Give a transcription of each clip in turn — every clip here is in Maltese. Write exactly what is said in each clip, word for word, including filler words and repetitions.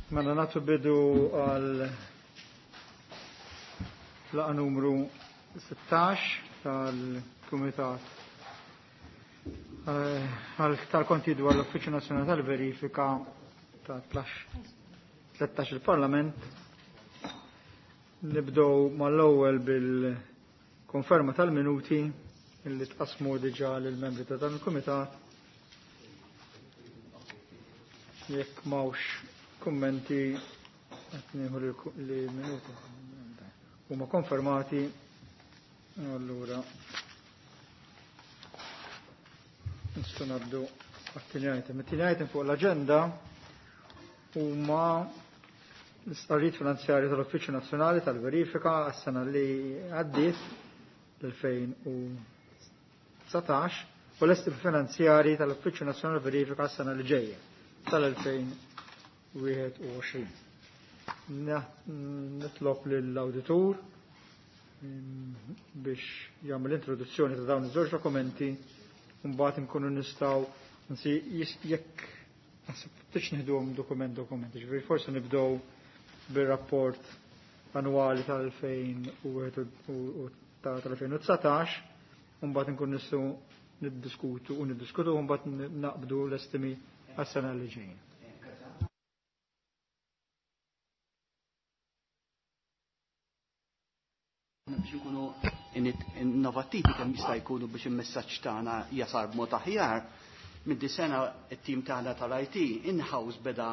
Mela nagħtu bidu għal laqgħa numru sittax tal-Kumitat tal-Konti dwar l-Uffiċċju Nazzjonali tal-Verifika ta' tlettax il-Parlament. Nibdew mal-ewwel bil-konferma tal-minuti illi tqasmu diġà lill-membri ta' dan il-Kumitat. Jekk m'hawnx kummenti qed nieħu li minuti huma konfermati, allura nistgħu ngħaddu għat-tieni item. It-tieni item fuq l-aġenda huma l-istqarrijiet finanzjarji tal-Uffiċċju Nazzjonali tal-Verifika għas-sena li għaddiet l-elfejn u dsatax u l-estimi finanzjarji tal-Uffiċċju Nazzjonali tal-Verifika għas-sena li ġejja tal-elfejn u wieħed u għoxrin. Nitlob lill-awditur biex jagħmel introduzzjoni ta' dawn iż-żewġ dokumenti u mbagħad inkunu nistgħu nsi jekk naħseb tix nieħduhom dokument dokument, ġifieri forsi nibdew bir-rapport annwali tal-elfejn u wieħed u tal-elfejn u dsatax u mbagħad inkunu nistgħu niddiskutu u niddiskutu u mbagħad naqbdu l-estimi għas-sena li ġejjin. Biex nkunu innovattivi kemm jista' jkunu biex il-messaġġ tagħna jasar b'mod aħjar, minn di sena it-tim tagħna tal-I T in-house beda,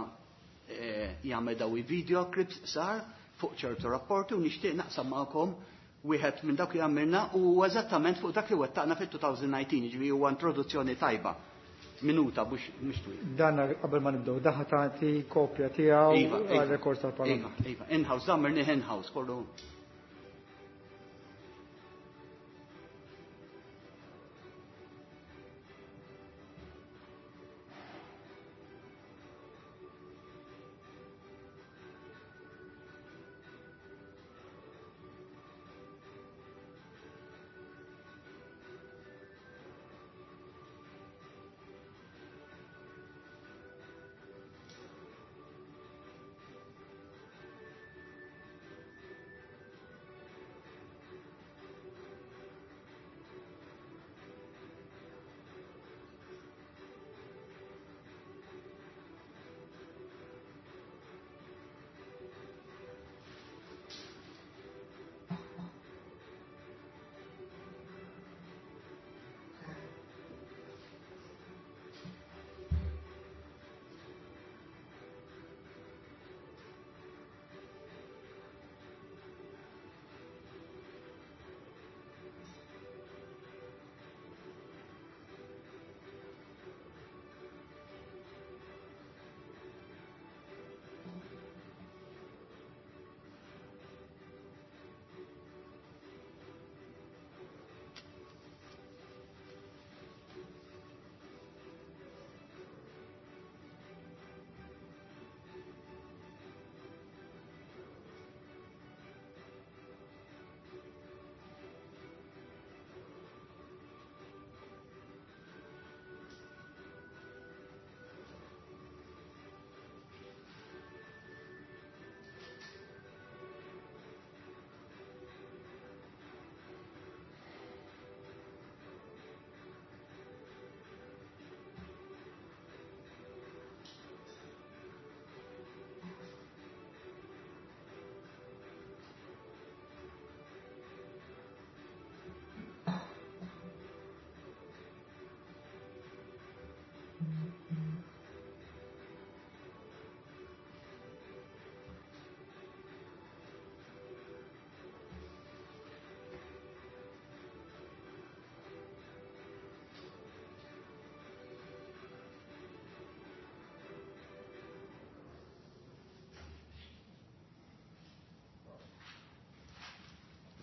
eh, jagħmel daw i-video clips sar fuq ċertu rapporti u nixtieq naqsam magħkom wieħed minn dak li għamilna u eżattament fuq dak li wettaqna fit-two thousand nineteen, jiġifieri huwa introduzzjoni tajba. Minuta biex mhux twil. Dan qabel ma nibdew, daħ tagħti kopja tiegħu Iva, iva. għal-rekord tal-Parlament. Iva, iva, in-house, għamilni in-house, kollu.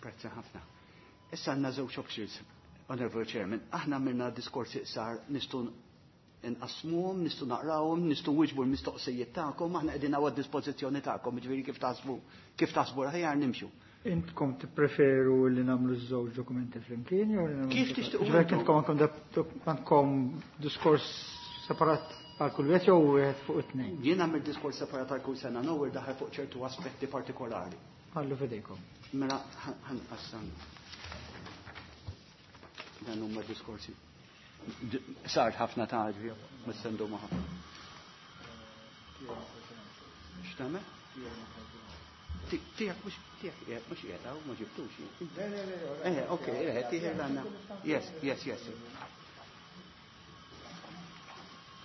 Grazzi ħafna. Issa għandna żewġ options, Honorable Chairman. Aħna għamilna diskorsi iqsar, nistgħu nqasmuhom, nistgħu naqrawhom, nistgħu nwiġbu l-mistoqsijiet tagħkom, aħna qegħdin hawn għad-dispożizzjoni tagħkom, jiġifieri kif taħsbu, kif taħsbu aħjar nimxu. Intkom tippreferu li nagħmlu ż-żewġ dokumenti flimkien jew li nagħmlu Kif żewġ tixtiequ Ġifieri intom? intkom għandkom dab-, għandkom diskors separat? Għal kull wieħed jew wieħed fuq it-tnejn? Jien għamil diskors separat għal kull sena, nowher daħal fuq ċertu aspetti partikolari. Ħallu f'idejkom. Mela ħanqassam. Dan huma diskorsi. Sar ħafna ta' ġvi, mistendu ma' ħafna. X'tagħmel? Tiegħek mhux tiegħek mhux qiegħed hawn ma ġibtux. Le le le. Eh, okej, eh, tiegħek għandna. Yes, yes, yes.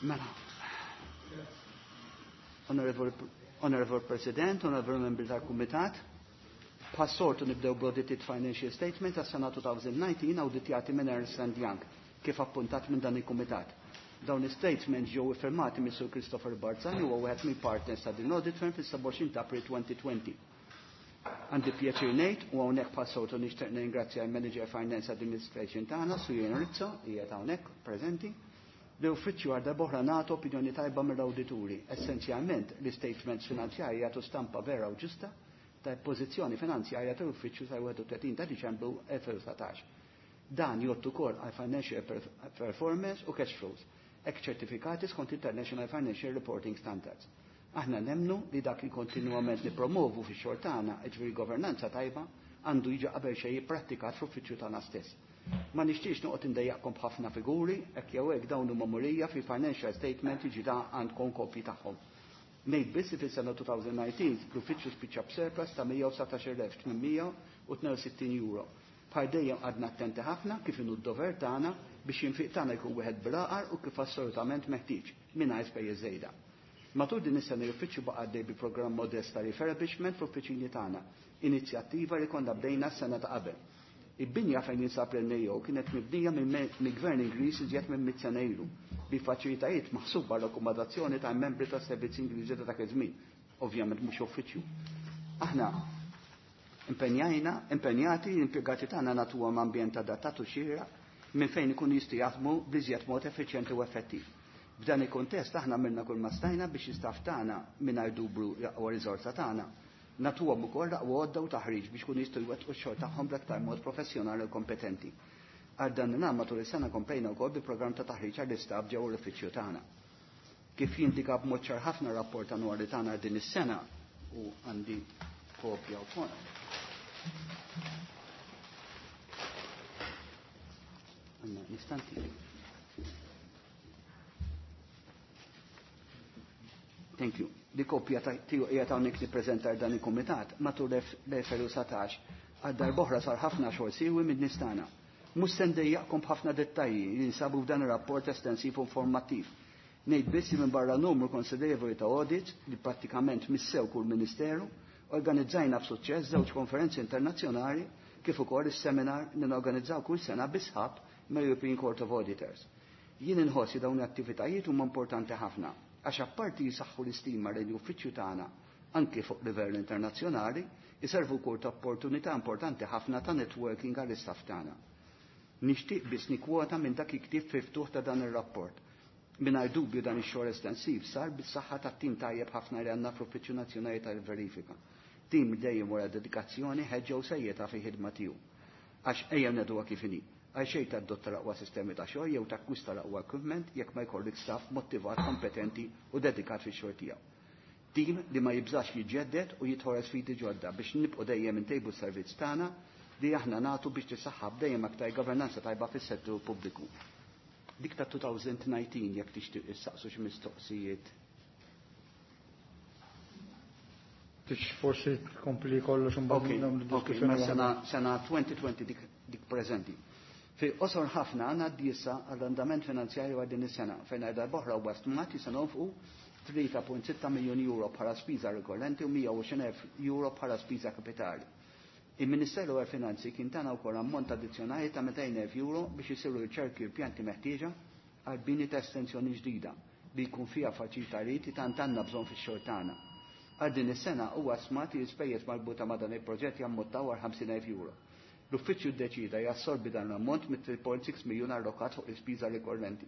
Mela. Honorable, Honorable President, Honorable Membri tal-Kumitat, bħas-soltu nibdew bl-Audited Financial Statement tas-sena twenty nineteen awditjati minn Ernst and Young kif appuntat minn dan il-Kumitat. Dawn is-statements ġew iffirmati minn Sur Christopher Barzani, huwa wieħed mill partners ta' din audit firm, fis-sebgħa u għoxrin ta' April elfejn u għoxrin. Għandi pjaċir ngħid u hawnhekk bħas-soltu nixtieq ningrazzja l-Manager Finance Administration tagħna, Sur Ian Rizzo, qiegħed hawnhekk preżenti. L-uffiċċju għal darb'oħra nagħtu opinjoni tajba mill-awdituri. Essenzjalment, l-statements finanzjarji jagħtu stampa vera u ġusta ta' pożizzjoni finanzjarja tal-uffiċċju sa' wieħed u tletin ta' Diċembru elfejn u dsatax. Dan jgħoddu ukoll għal financial performance u cash flows, hekk ċertifikati skont International Financial Reporting Standards. Aħna nemnu li dak li kontinuament nipromovu fi xogħol tagħna, jiġifieri governanza tajba, għandu jiġi qabel xejn jipprattikat fl-uffiċċju tagħna stess. Ma nixtiex noqgħod indejjaqkom b'ħafna figuri, hekk jew hekk dawn huma murija fi financial statement jiġi da għandkom kopji tagħhom. Ngħid biss li fis-sena elfejn u dsatax l-uffiċċju spiċċa b'surplus ta' mija u dsatax-il elf tmien mija u tnejn u sittin euro. Bħal dejjem għadna attenti ħafna kif inhu d-dover tagħna biex l-infiq tagħna jkun wieħed bil-għaqal u kif assolutament meħtieġ mingħajr spejjeż żejda. Matul din is-sena l-uffiċċju baqa' għaddej bi programm modest ta' refurbishment fl-uffiċini tagħna, inizjattiva li konna bdejna s-sena ta' qabel. Il-binja fejn jinsab l-N A O kienet mibnija mill-Gvern Ingliż iżjed minn mitt sena ilu bi faċilitajiet maħsuba l-akkomodazzjoni ta' membri ta' servizzi Ingliżi ta' dak iż-żmien, ovvjament mhux uffiċċju. Aħna impenjajna, impenjati l-impjegati tagħna nagħtuhom ambjent adattat u xieraq minn fejn ikun jistgħu jaħdmu b'iżjed mod effiċjenti u effettiv. F'dan il-kontest aħna għamilna kull ma stajna biex l-istaff tagħna mingħajr dubru l-aqwa riżorsa tagħna. Nagħtuhom ukoll l-aqwa għodda u taħriġ biex kun jistgħu jwettqu x-xogħol tagħhom bl-aktar mod professjonali u kompetenti. Għal dan il matul is-sena komplejna wkoll bi programm ta' taħriġ għall-istaff ġewwa l-uffiċċju tagħna. Kif jindika b'mod ċar ħafna rapport annwali tagħna din is-sena u għandi kopja wkoll. Għanna, nistanti. Thank you. Di kopja tiegħu qiegħed hawnhekk nippreżentar dan il-kumitat matul l-elfejn u dsatax għal darb'oħra sar ħafna xogħol siwi minn nies tagħna. Mhux se ndejjaqkom b'ħafna dettalji li jinsabu f'dan ir-rapport estensiv u informattiv. Ngħid biss li minn barra numru konsiderevoli ta' audits li prattikament missew kull ministeru, organizzajna b'suċċess żewġ konferenzi internazzjonali kif ukoll is-seminar li norganizzaw kull sena bi sħab mal-European Court of Auditors. Jien inħossi dawn l-attivitajiet huma importanti ħafna għax apparti jisaħħu l-istima lejn l-uffiċċju tagħna anke fuq livell internazzjonali, jiservu wkoll ta' opportunità importanti ħafna ta' networking għall-istaff tagħna. Nixtieq biss nikkwota minn dak il-ktieb fi ftuħ ta' dan ir-rapport. Mingħajr dubju dan ix-xogħol estensiv sar bis-saħħa tat-tim tajjeb ħafna li għandna fl-Uffiċċju Nazzjonali tal-Verifika. Tim dejjem wara dedikazzjoni, ħeġġa u serjetà fi ħidma tiegħu. Għax ejja ngħiduha kif inhi. Għal xejn tadotta l-aqwa sistemi ta' xogħol jew takkwista l-aqwa equipment jekk ma jkollok staff motivat, kompetenti u dedikat fix-xogħol tiegħu. Tim li ma jibżax jiġġedded u jidħol sfidi ġodda biex nibqgħu dejjem intejbu s-servizz tagħna li aħna nagħtu biex tisaħħab dejjem aktar governanza tajba fis-settur pubbliku. Dik ta' elfejn u dsatax jekk tixtieq issaqsu xi mistoqsijiet. Tix forsi tkompli kollox un Ok, ok, ma sena, sena elfejn u għoxrin dik, dik preżenti. Fi qosor ħafna għandna issa għall-andament finanzjarju għal din is-sena fejn għal darb'oħra huwa stmat li se nonfqu tlieta punt sitta miljun euro bħala spiża rikorrenti u mija u għoxrin elf euro bħala spiża kapitali. Il-Ministeru għal Finanzi kien tana wkoll ammont addizzjonali ta' mitejn elf euro biex isiru riċerki u pjanti meħtieġa għal bini ta' estensjoni ġdida li jkun fiha faċilitajiet li tant għandna bżonn fix-xogħol tagħna. Għal din is-sena huwa stmat li l-ispejjeż marbuta ma' dan il-proġett jammontaw għal ħamsin elf euro. L-uffiċċju ddeċida jassorbi dan l-ammont mit-tlieta punt sitta miljun allokat fuq l-ispiża rikorrenti.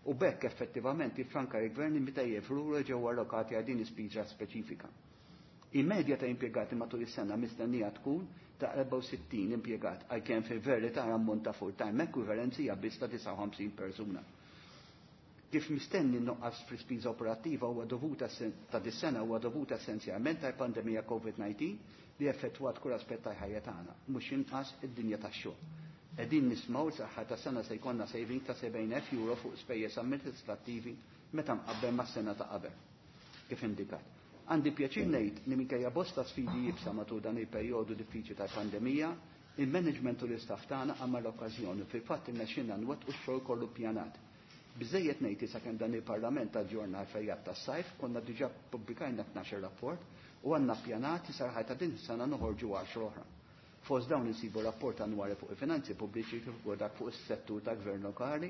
U b'hekk effettivament jiffranka l-gvern mitejn elf euro ġew allokati għal din l-ispiża speċifika. Il-medja ta' impjegati matul is-sena mistennija tkun ta' erbgħa u sittin impjegat għalkemm fil-verità ammont ta' full-time equivalence hija biss ta' disgħa u ħamsin persuna. Kif mistenni n-nuqqas fl-ispiża operattiva huwa dovuta ta' dis-sena huwa dovuta essenzjalment tal-pandemija COVID nineteen li effettwat kull aspett tal-ħajja tagħna, mhux inqas id-dinja tax-xogħol. Qegħdin nismgħu saħħa ta' sena se jkollna saving ta' sebgħin elf euro fuq spejjeż amministrattivi meta mqabbel mas-sena ta' qabel, kif indikat. Għandi pjaċir ngħid li minkejja bosta sfidi jibsa matul dan il-perjodu diffiċli tal-pandemija, il-management u l-istaff tagħna għamel l-okkażjoni fil-fatt irnexxinna nwettqu x-xogħol kollu ppjanat. Biżejjed ngħid issa kemm dan il-Parlament aġġorna l-fejjat tas-sajf, konna diġà pubblikajna tnax-il rapport u għandna ppjanat li sar ta' din is-sena noħorġu għaxra oħra. Fost dawn insibu rapport annwali fuq il-finanzi pubbliċi kif ukoll dak fuq is-settur ta' gvern lokali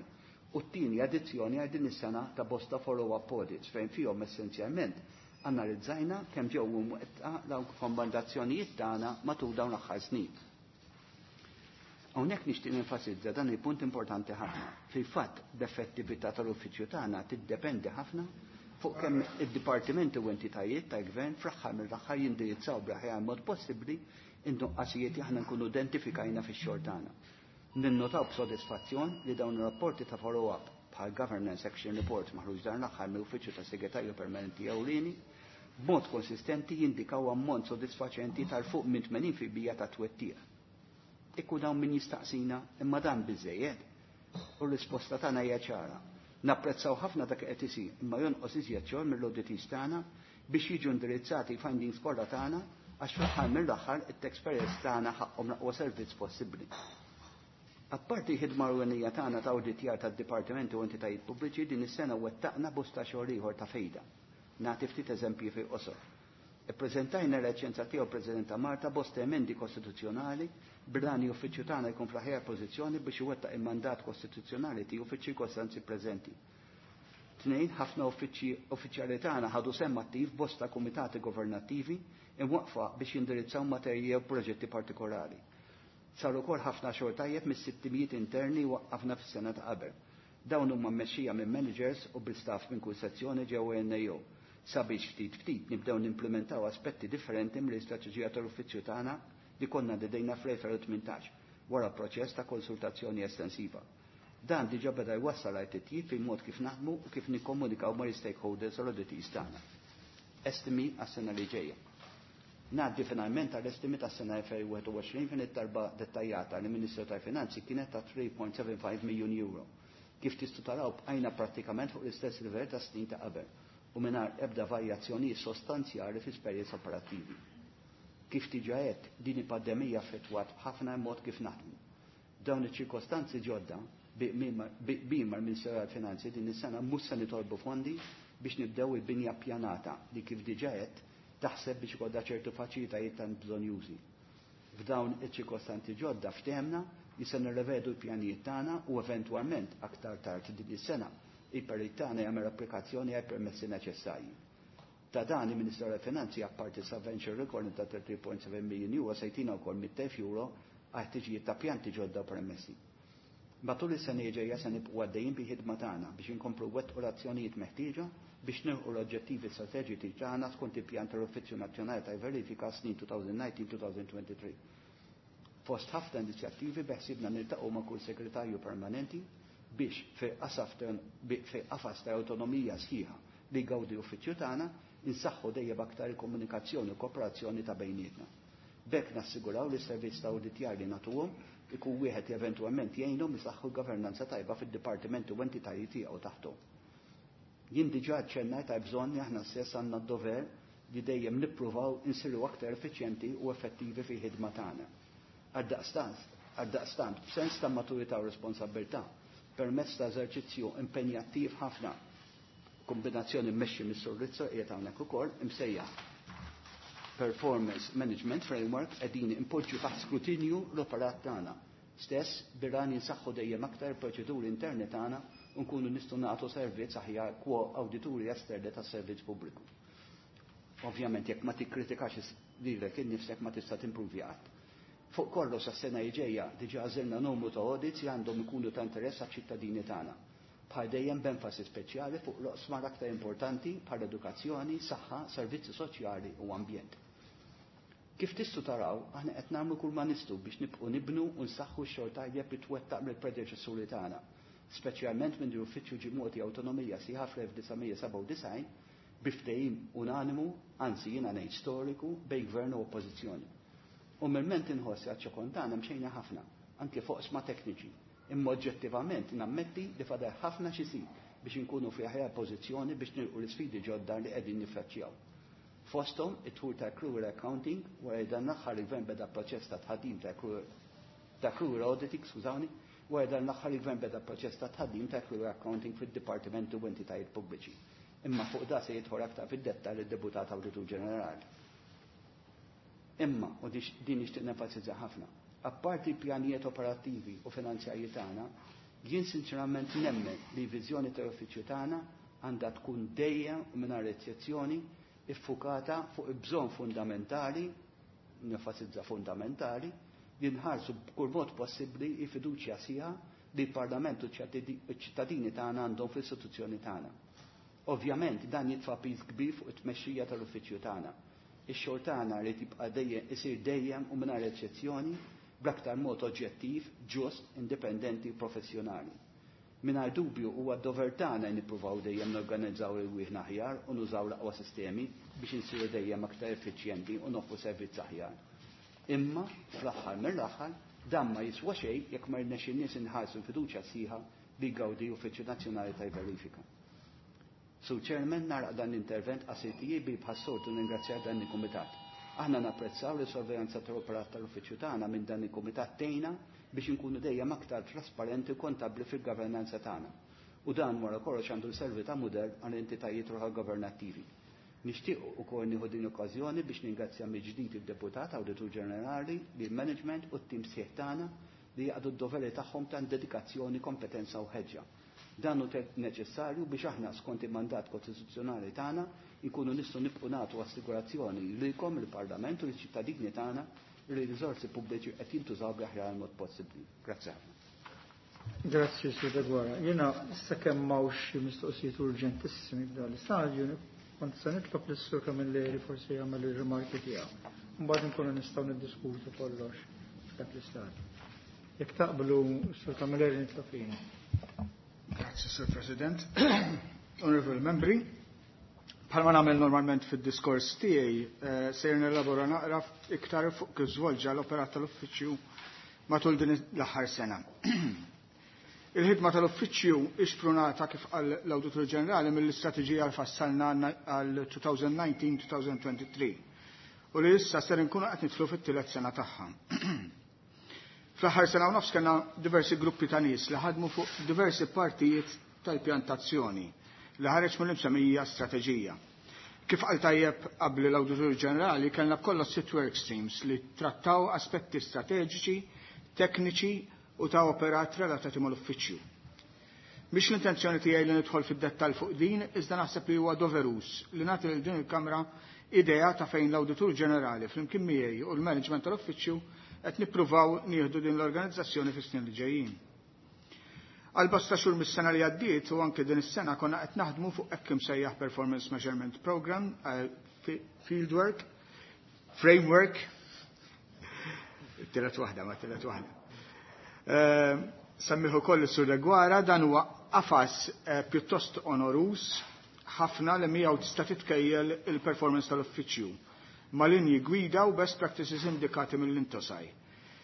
u t-tieni addizzjoni għal din is-sena ta' bosta follow-up audits fejn fihom essenzjalment analizzajna kemm ġew imwettqa l-rakkomandazzjonijiet tagħna matul dawn l-aħħar snin. Hawnhekk nixtieq nenfasizza dan il-punt importanti ħafna. Fil-fatt l-effettività tal-uffiċċju tagħna tiddependi ħafna fuq kemm id-dipartimenti u entitajiet tal-gvern fl-aħħar mill-aħħar jindirizzaw bl-aħjar mod possibbli in-nuqqasijiet li aħna nkunu identifikajna fix-xogħol tagħna. Ninnotaw b'sodisfazzjon li dawn ir-rapporti ta' follow-up bħal Governance Action Report maħruġ dan l-aħħar mill-Uffiċċju tas-Segretarju Permanenti Ewlieni b'mod konsistenti jindikaw ammont sodisfaċenti tal-fuq minn tmenin fil-mija ta' twettiq. Ikku dawn min jistaqsina imma dan biżejjed. U l-risposta tagħna hija ċara. Napprezzaw ħafna dak qed isir, imma jonqos iżjed xogħol mill-auditees tagħna biex jiġu indirizzati findings kollha tagħna għax fl-aħħar mill-aħħar it-taxpayers tagħna ħaqhom l-aqwa servizz possibbli. Apparti ħidma ewlenija tagħna ta' awditjar tad-dipartimenti u entitajiet pubbliċi din is-sena wettaqna bosta xogħol ieħor ta' fejda. Nagħti ftit eżempji fi qosor. Ippreżentajna l-eċċenza tiegħu President ta' Malta bosta emendi kostituzzjonali bil-għan uffiċċju tagħna jkun fl-aħjar pożizzjoni biex iwettaq il-mandat kostituzzjonali tiegħu fiċ-ċirkostanzi preżenti. Tnejn, ħafna uffiċjali tagħna ħadu sehem attiv bosta kumitati governattivi imwaqfa biex jindirizzaw materji u proġetti partikolari. Saru wkoll ħafna xogħol tajjeb mis-sittimijiet interni waqqafna fis-sena ta' qabel. Dawn huma mmexxija minn managers u bil-staff minn kull sezzjoni ġewwa N A O. Sabiex ftit ftit nibdew nimplementaw aspetti differenti mill-istrateġija tal-uffiċċju tagħna li konna dedejna fl-elfejn u tmintax wara proċess ta' konsultazzjoni estensiva. Dan diġà beda jwassal għal titjib fil-mod kif naħdmu u kif nikkomunikaw mal-stakeholders u l-auditees tagħna. Estimi għas-sena li ġejja. Ngħaddi finalment għall-estimi tas-sena elfejn u wieħed u għoxrin fejn it-talba dettaljata li Ministru tal-Finanzi kienet ta' three point seven five miljun euro. Kif tistgħu taraw bqajna prattikament fuq l-istess livell ta' snin ta' qabel u mingħajr ebda varjazzjonijiet sostanzjali fi spejjeż operattivi. Kif diġà għedt, din il-pandemija affettwat ħafna mod kif naħdmu. Dawn iċ-ċirkostanzi ġodda bimar Ministeru tal-Finanzi din is-sena mhux se nitolbu fondi biex nibdew il-binja ppjanata li kif diġà għedt taħseb biex ikollha ċertu faċilitajiet tant bżonjużi. F'dawn iċ-ċirkostanzi ġodda ftehemna li se nirrevedu l-pjanijiet tagħna u eventwalment aktar tard din is-sena il-perit tagħna jagħmel applikazzjoni għal permessi neċessarji. Ta' dan il-Ministeru tal-Finanzi apparti subvention record ta' thirty point seven million euro se jtina wkoll mitt elf euro għal ħtiġijiet ta' pjanti ġodda u permessi. Matul is-sena ġejja se nibqgħu għaddejjin bi ħidma tagħna biex inkomplu wettqu l-azzjonijiet meħtieġa biex nilħqu l-oġġettivi strateġiċi tagħna skont il-pjan tal-Uffiċċju Nazzjonali tal-Verifika snin two thousand nineteen two thousand twenty-three. Fost ħafna inizjattivi beħsibna niltaqgħu ma' kull segretarju permanenti biex fil-qafas ta' autonomija sħiħa li jgawdi uffiċċju tagħna insaħħu dejjem aktar il-komunikazzjoni u kooperazzjoni ta' bejnietna. B'hekk nassiguraw li s-servizz ta' awditjar li nagħtuhom ikun wieħed li eventwalment jgħinhom isaħħu l-governanza tajba fid-dipartimenti u entitajiet tiegħu taħthom. Jien diġà ċċennajt ta' bżonn li aħna stess għandna d-dover li dejjem nippruvaw insiru aktar effiċjenti u effettivi fil-ħidma tagħna. Għaldaqstant, b'sens ta' maturità u responsabilità, permezz ta' eżerċizzju impenjattiv ħafna, kombinazzjoni mmexxi mis-Sur Rizzo qiegħed hawnhekk ukoll imsejjaħ Performance Management Framework qegħdin impoġġu taħt skrutinju l-operat tagħna. Stess birran jinsaħħu dejjem aktar proċeduri interni tagħna u nkunu nistgħu nagħtu servizz aħjar kwa awdituri esterni tas-servizz pubbliku. Ovvjament jekk ma tikkritikax lilek innifsek ma tista' timpruvi qatt. Fuq kollox sas-sena li ġejja diġà għażilna numru ta' audits li għandhom ikunu ta' interess għaċ-ċittadini tagħna. Bħal dejjem b'enfasi speċjali fuq l-oqsma l-aktar importanti bħal edukazzjoni, saħħa, servizzi soċjali u ambjent. Kif tistgħu taraw, aħna qed nagħmlu kull ma nistgħu biex nibqgħu nibnu u nsaħħu x-xogħol tajjeb li twettaq mill-predeċessuri tagħna Speċjalment minn l-uffiċċju ġie mogħti awtonomija sħiħa fl-elf disa' mija sebgħa u disgħin bi ftehim unanimu, anzi jiena ngħid storiku, bejn gvern u oppożizzjoni. Umilment inħoss għaċ-ċokon tagħna mxejna ħafna, anke fuq sma tekniċi. Imma oġġettivament nammetti li fadal ħafna x'isir biex inkunu fi aħjar pożizzjoni biex nilqu l-isfidi ġodda li qegħdin niffaċċjaw. Fosthom it-tħul ta' accrual accounting, wara li dan l-aħħar il-gvern beda proċess ta' tħaddim ta' accrual, ta' accrual auditing, skużawni, wara dan l-aħħar il-gvern beda proċess ta' tħaddim ta' accrual accounting fid-dipartimenti u entitajiet pubbliċi. Imma fuq da se jidħol aktar fid-dettall id-deputat Awditur Ġenerali. Imma, u din nixtieq nenfasizza ħafna, apparti pjanijiet operattivi u finanzjarji tagħna, jien sinċerament nemmen li viżjoni tal-uffiċċju tagħna għandha tkun dejjem u mingħajr eċċezzjoni iffukata fuq il-bżonn fundamentali, nenfasizza fundamentali, li nħarsu b'kull mod possibbli il-fiduċja sħiħa li l-Parlament u ċ-ċittadini tagħna għandhom fl-istituzzjoni tagħna. Ovvjament dan jitfa' piż kbir fuq it-tmexxija tal-uffiċċju tagħna. Ix-xogħol tagħna li tibqa' dejjem isir dejjem u mingħajr eċċezzjoni bl-aktar mod oġġettiv, ġust, indipendenti u professjonali. Mingħajr dubju huwa d-dover tagħna li nippruvaw dejjem norganizzaw irwieħna aħjar u nużaw l-aqwa sistemi biex insiru dejjem aktar effiċjenti u noffru servizz aħjar. Imma fl-aħħar mill-aħħar dan ma jiswa xejn jekk ma rnexxinniex inħarsu l-fiduċja sħiħa li jgawdi Uffiċċju Nazzjonali tal-Verifika. Sur Chairman, naraq dan l-intervent qasir tiegħi bi bħas-soltu ningrazzjar dan il-Kumitat. Aħna napprezzaw li sorveljanza tal-operat tal-uffiċċju tagħna minn dan il-Kumitat tgħinna biex inkunu dejjem aktar trasparenti u kontabbli fil-governanza tagħna. U dan wara kollox għandu jservi ta' mudell għal entitajiet oħra governattivi. Nixtieq ukoll nieħu din l-okkażjoni biex ningrazzja mill-ġdid id-Deputat Awditur Ġenerali, lill-management u t-tim sħiħ tagħna li jaqdu d-doveri tagħhom ta' dedikazzjoni, kompetenza u ħeġġa. Dan hu neċessarju biex aħna skont il-mandat kostituzzjonali tagħna nkunu nistgħu nibqgħu nagħtu assigurazzjoni lilkom il-Parlament u liċ-ċittadini tagħna li r-riżorsi pubbliċi qed jintużaw bl-aħjar mod possibbli. Grazzi ħafna. Grazzi, Sur Deguara. Jiena sakemm m'hawnx xi mistoqsijiet urġentissimi f'dan l-istadju, kont se nitlob lis-Sur Camilleri forsi jagħmel ir-rimarki tiegħu. Mbagħad inkunu nistgħu niddiskutu kollox f'dak l-istadju. Jekk taqblu, Sur Camilleri, nitlob lilek. Grazzi, Sur President. Onorevoli membri, bħalma nagħmel normalment fid-diskors tiegħi, eh, sejr nelabora naqra iktar fuq kif żvolġa l-operat tal-uffiċċju matul din l-aħħar sena. Il-ħidma tal-uffiċċju ixprunata kif qal l-Awditur Ġenerali mill-istrateġija li fassalna għal twenty nineteen twenty twenty-three u li issa ser inkunu qed nidħlu fit-tielet sena tagħha. Fl-aħħar sena u nofs kellna diversi gruppi ta' nies li ħadmu fuq diversi partijiet tal-pjantazzjoni li ħareġ mill-imsemmija strateġija. Kif qal tajjeb qabel l-Awditur Ġenerali, kellna b'kollox sitt work streams li trattaw aspetti strateġiċi, tekniċi u ta' operat relatati mal-uffiċċju. Mhix l-intenzjoni tiegħi li nidħol fid-dettall fuq din, iżda naħseb li huwa doverus li nagħti lil din il-Kamra idea ta' fejn l-Awditur Ġenerali flimkien miegħi u l-management tal-uffiċċju qed nippruvaw nieħdu din l-organizzazzjoni fis-snin li ġejjin. Għal bosta xhur mis-sena li għaddiet u anke din is-sena konna qed naħdmu fuq hekk imsejjaħ Performance Measurement Program, eh, Fieldwork, Framework, tielet waħda ma tielet waħda. Eh, semmiħu koll is-Sur Deguara, dan huwa qafas, eh, pjuttost onorus ħafna li miegħu tista' titkejjel il-performance tal-uffiċċju ma' linji gwida u best practices indikati mill-Intosai.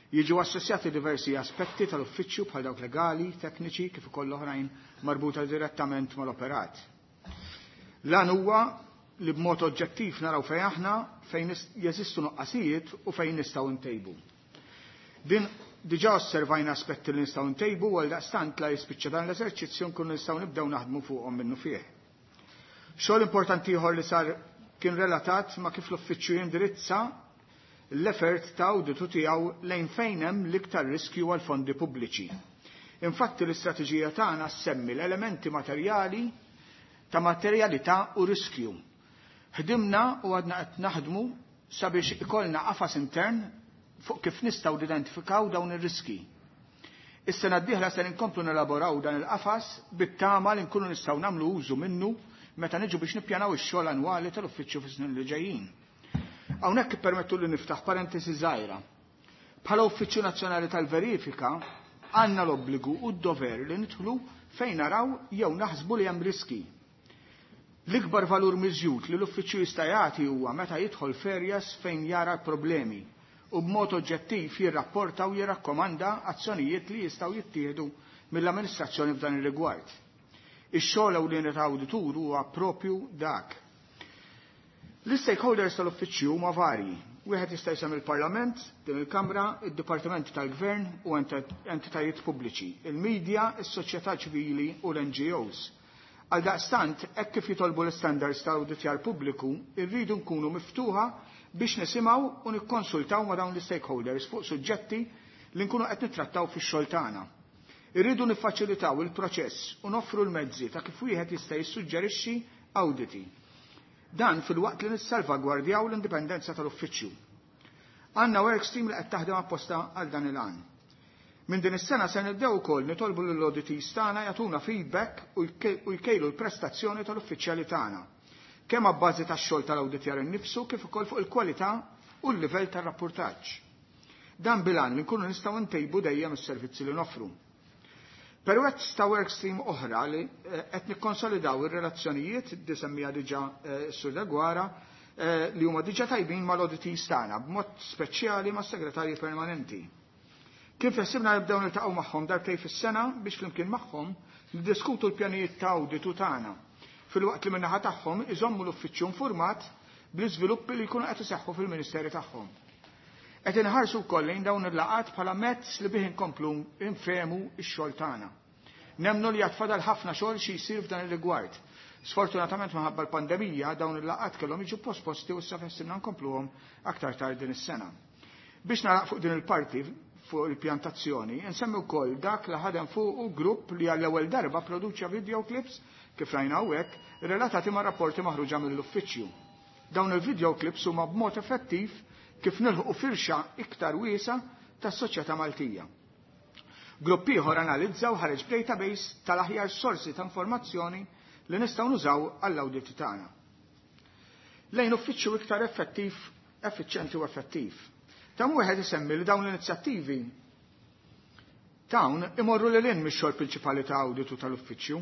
Jiġu assessjati diversi aspetti tal-uffiċċju bħal dawk legali, tekniċi, kif ukoll oħrajn marbuta direttament mal-operat. Lan huwa li b'mod oġġettiv naraw fejn aħna, fejn nis-, jeżistu nuqqasijiet u fejn nistgħu ntejbu. Din diġà osservajna aspetti li nistgħu ntejbu u għaldaqstant la jispiċċa dan l-eżerċizzju nkunu nistgħu nibdew naħdmu fuqhom minnu fih. Xogħol importanti ieħor li sar kien relatat ma' kif l-uffiċċju jindirizza l-effort ta' awditu tiegħu lejn fejn hemm l-iktar riskju għal fondi pubbliċi. Infatti l-istrateġija tagħna ssemmi l-elementi materjali ta' materjalità u riskju. Ħdimna u għadna qed naħdmu sabiex ikollna qafas intern fuq kif nistgħu nidentifikaw dawn ir-riski. Is-sena d-dieħla se nkomplu nelaboraw dan il-qafas bit-tama li nkunu nistgħu nagħmlu użu minnu meta niġu biex nippjanaw ix-xogħol annwali tal-uffiċċju fis-snin li ġejjin. Hawnhekk ippermettu li niftaħ parentesi żgħira. Bħala Uffiċċju Nazzjonali tal-Verifika Għandna l-obbligu u d-dover li nidħlu fejn naraw jew naħsbu li hemm riski. L-ikbar valur miżjud li l-uffiċċju jista' jagħti huwa meta jidħol f'areas fejn jara problemi u b'mod oġġettiv jirrapporta u jirrakkomanda azzjonijiet li jistgħu jittieħdu mill-amministrazzjoni f'dan ir-rigward. Ix-xogħol ewlieni ta' awditur huwa propju dak. L-stakeholders tal-uffiċċju huma varji. Wieħed jista' jsemmi il-Parlament, din il-Kamra, id-Dipartimenti tal-Gvern u entitajiet pubbliċi, il-medja, is-soċjetà ċivili u l-N G Os. Għal daqstant, hekk kif jitolbu l-standards ta' awditjar pubbliku, irridu nkunu miftuħa biex nisimgħu u nikkonsultaw ma' dawn l-stakeholders fuq suġġetti li nkunu qed nittrattaw fix-xogħol tagħna. Irridu niffaċilitaw il-proċess u noffru l-mezzi ta' kif wieħed jista' jissuġġerixxi awditi. Dan filwaqt li nissalvagwardjaw l-indipendenza tal-uffiċċju. Għandna work stream li qed taħdem apposta għal dan il-għan. Minn din is-sena se nibdew ukoll nitolbu lill-auditees tagħna jagħtuna feedback u jkejlu l-prestazzjoni tal-uffiċjali tagħna. Kemm abbażi tax-xogħol tal-awditjar innifsu kif ukoll fuq il-kwalità u l-livell tar-rapportaġġ. Dan bil-għan li nkunu nistgħu ntejbu dejjem is-servizzi li noffru. Permezz ta' workstream oħra li eh, qed nikkonsolidaw ir-relazzjonijiet li semmija diġà eh, Sur Deguara eh, li huma diġà tajbin mal-auditees tagħna b'mod speċjali mas-segretarji permanenti. Kif ħsibna nibdew niltaqgħu magħhom darbtejn fis-sena biex flimkien magħhom niddiskutu l-pjanijiet ta' awditu tagħna, filwaqt li min-naħa tagħhom iżommu l-uffiċċju informat bl-iżviluppi li jkunu qed iseħħu fil-ministeri tagħhom. Qed inħarsu wkoll lejn dawn il-laqat bħala mezz li bih inkomplu nfehmu x-xogħol tagħna. Nemmnu li għad fadal ħafna xogħol xi jsir f'dan ir-rigward. Sfortunatament, minħabba l-pandemija, dawn il-laqat kellhom jiġu posposti u issa ħsibna nkompluhom aktar tard din is-sena. Biex nagħlaq fuq din il-parti fuq il-pjantazzjoni, nsemmi wkoll dak li ħadem fuq grupp li għall-ewwel darba produċa video clips, kif rajna hawnhekk, relatati ma' rapporti maħruġa mill-uffiċċju. Dawn il-video clips huma b'mod effettiv kif nilħu firxa iktar wiesa tas-soċjetà Maltija. Grupp ieħor analizza u ħareġ database tal-aħjar sorsi ta' informazzjoni li nistgħu nużaw għall-awditi tagħna. Lejn uffiċċju iktar effettiv, effiċjenti u effettiv. Ta' wieħed isemmi li dawn l-inizjattivi dawn imorru lil hinn mix-xogħol prinċipali ta' awditu tal-uffiċċju.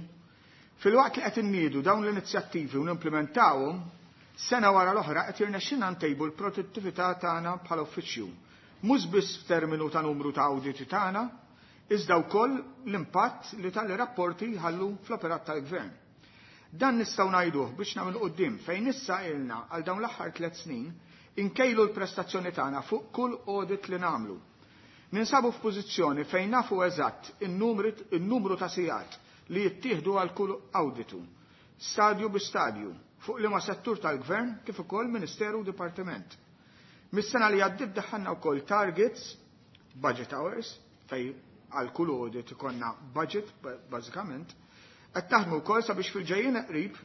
Filwaqt li qed inniedu dawn l-inizjattivi u nimplementawhom, sena wara l-oħra qed jirnexxinna ntejbu l-produttività tagħna bħala uffiċċju. Mhux biss f'terminu ta' numru ta' awditi tagħna, iżda wkoll l-impatt li tal-rapporti ħallu fl-operat tal-gvern. Dan nistgħu ngħiduh biex nagħmel quddiem fejn issa ilna għal dawn l-aħħar tliet snin inkejlu l-prestazzjoni tagħna fuq kull audit li nagħmlu. Ninsabu f'pożizzjoni fejn nafu eżatt in-numru ta' sigħat li jittieħdu għal kull awditu, stadju bi stadju, fuq liema settur tal-gvern kif ukoll ministeru u dipartiment. Mis-sena li għaddit daħħalna wkoll targets, budget hours, fej għal kull audit ikollna budget bażikament, qed taħdmu wkoll sabiex fil-ġejjin qrib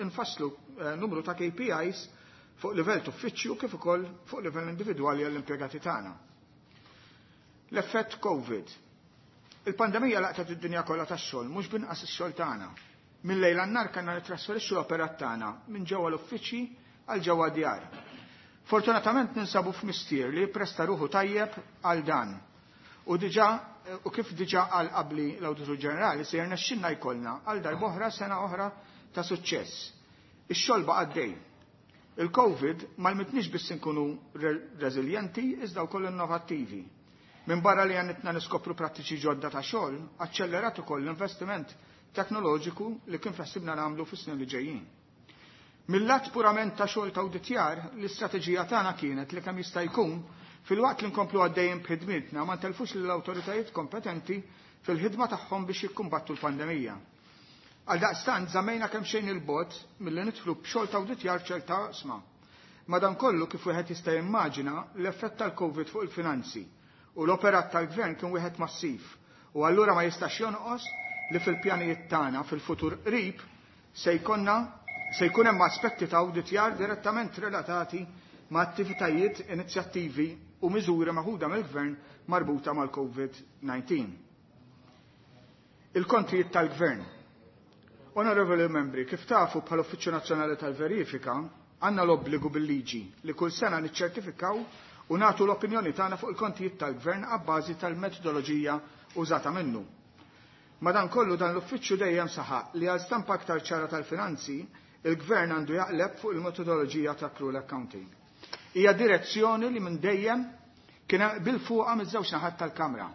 infasslu eh, numru ta' K P Is fuq livell uffiċċju kif ukoll fuq livell individwali għall-impjegati tagħna. L-effett Covid. Il-pandemija laqtet id-dinja kollha tax-xogħol, mhux binqas ix-xogħol tagħna. Minn lejl għan-nhar kellna nitrasferixxu l-operat tagħna minn ġewwa l-uffiċċji għal ġewwa djar. Fortunatament ninsabu f'mistier li presta ruħu tajjeb għal dan. U diġà u kif diġà għal qabli l-Awditur Ġenerali, se jirnexxinna jkollna għal darb'oħra sena oħra ta' suċċess. Ix-xogħol baqa' għaddej. Il-Covid m'għallmitniex biss inkunu reżiljenti iżda wkoll innovattivi. Minn barra li għenitna niskopru prattiċi ġodda ta' xogħol, aċċellerat ukoll l-investiment teknoloġiku li kien ħsibna nagħmlu fis-snin li ġejjin. Mill-lat purament ta' xogħol ta' awditjar, l-istrateġija tagħna kienet li kemm jista' jkun, filwaqt li nkomplu għaddejjin b'ħidmitna, ma ntelfux lill-awtoritajiet kompetenti fil-ħidma tagħhom biex jikkumbattu l-pandemija. Għal daqstant żammejna kemm xejn il-bogħod milli nidħlu b'xogħol ta' awditjar ċerta oqsma. Madankollu, kif wieħed jista' jimmaġina, l-effett tal-Covid fuq il-finanzi u l-operat tal-gvern kien wieħed massiv u allura ma jistax jonqos li fil-pjanijiet tagħna fil-futur qrib se jkollna se jkun hemm aspetti ta' awditjar direttament relatati ma' attivitajiet, inizjattivi u miżuri maħuda mill-gvern marbuta mal-Covid nineteen. Il-kontijiet tal-gvern. Onorevoli membri, kif tafu, bħal Uffiċċju Nazzjonali tal-Verifika għandna l-obbligu bil-liġi li kull sena niċċertifikaw u nagħtu l-opinjoni tagħna fuq il-kontijiet tal-Gvern abbażi tal-metodoloġija użata minnu. Madankollu dan l-uffiċċju dejjem saħaq li għal stampa aktar ċara tal-finanzi, il-Gvern għandu jaqleb fuq il-metodoloġija ta' accrual accounting. Hija direzzjoni li minn dejjem kien bil-fuqa miż-żewġ naħat tal-Kamra.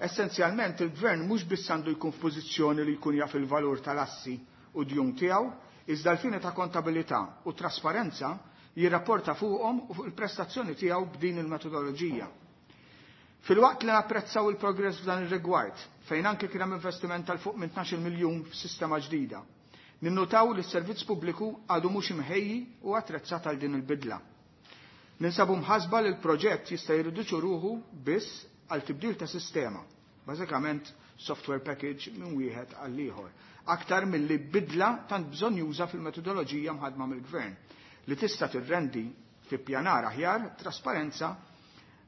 Essenzjalment il-Gvern mhux biss għandu jkun f'pożizzjoni li jkun jaf il-valur tal-assi u djun tiegħu, iżda l-fini ta' kontabilità u trasparenza jirrapporta fuqhom u fuq il-prestazzjoni tiegħu b'din il-metodoloġija. Filwaqt li napprezzaw il-progress f'dan ir-rigward, fejn anke kien hemm investiment tal fuq minn tnax-il miljun f'sistema ġdida, ninnutaw li s-servizz pubbliku għadu mhux imħejji u attrezzat għal din il-bidla. Ninsabu mħasba li l-proġett jista' jirriduċu ruħu biss għal tibdil ta' sistema, bażikament software package minn wieħed għal ieħor, aktar milli bidla tant bżonn juża fil-metodoloġija mħadma mill-gvern li tista' tirrendi fi pjanar aħjar, trasparenza,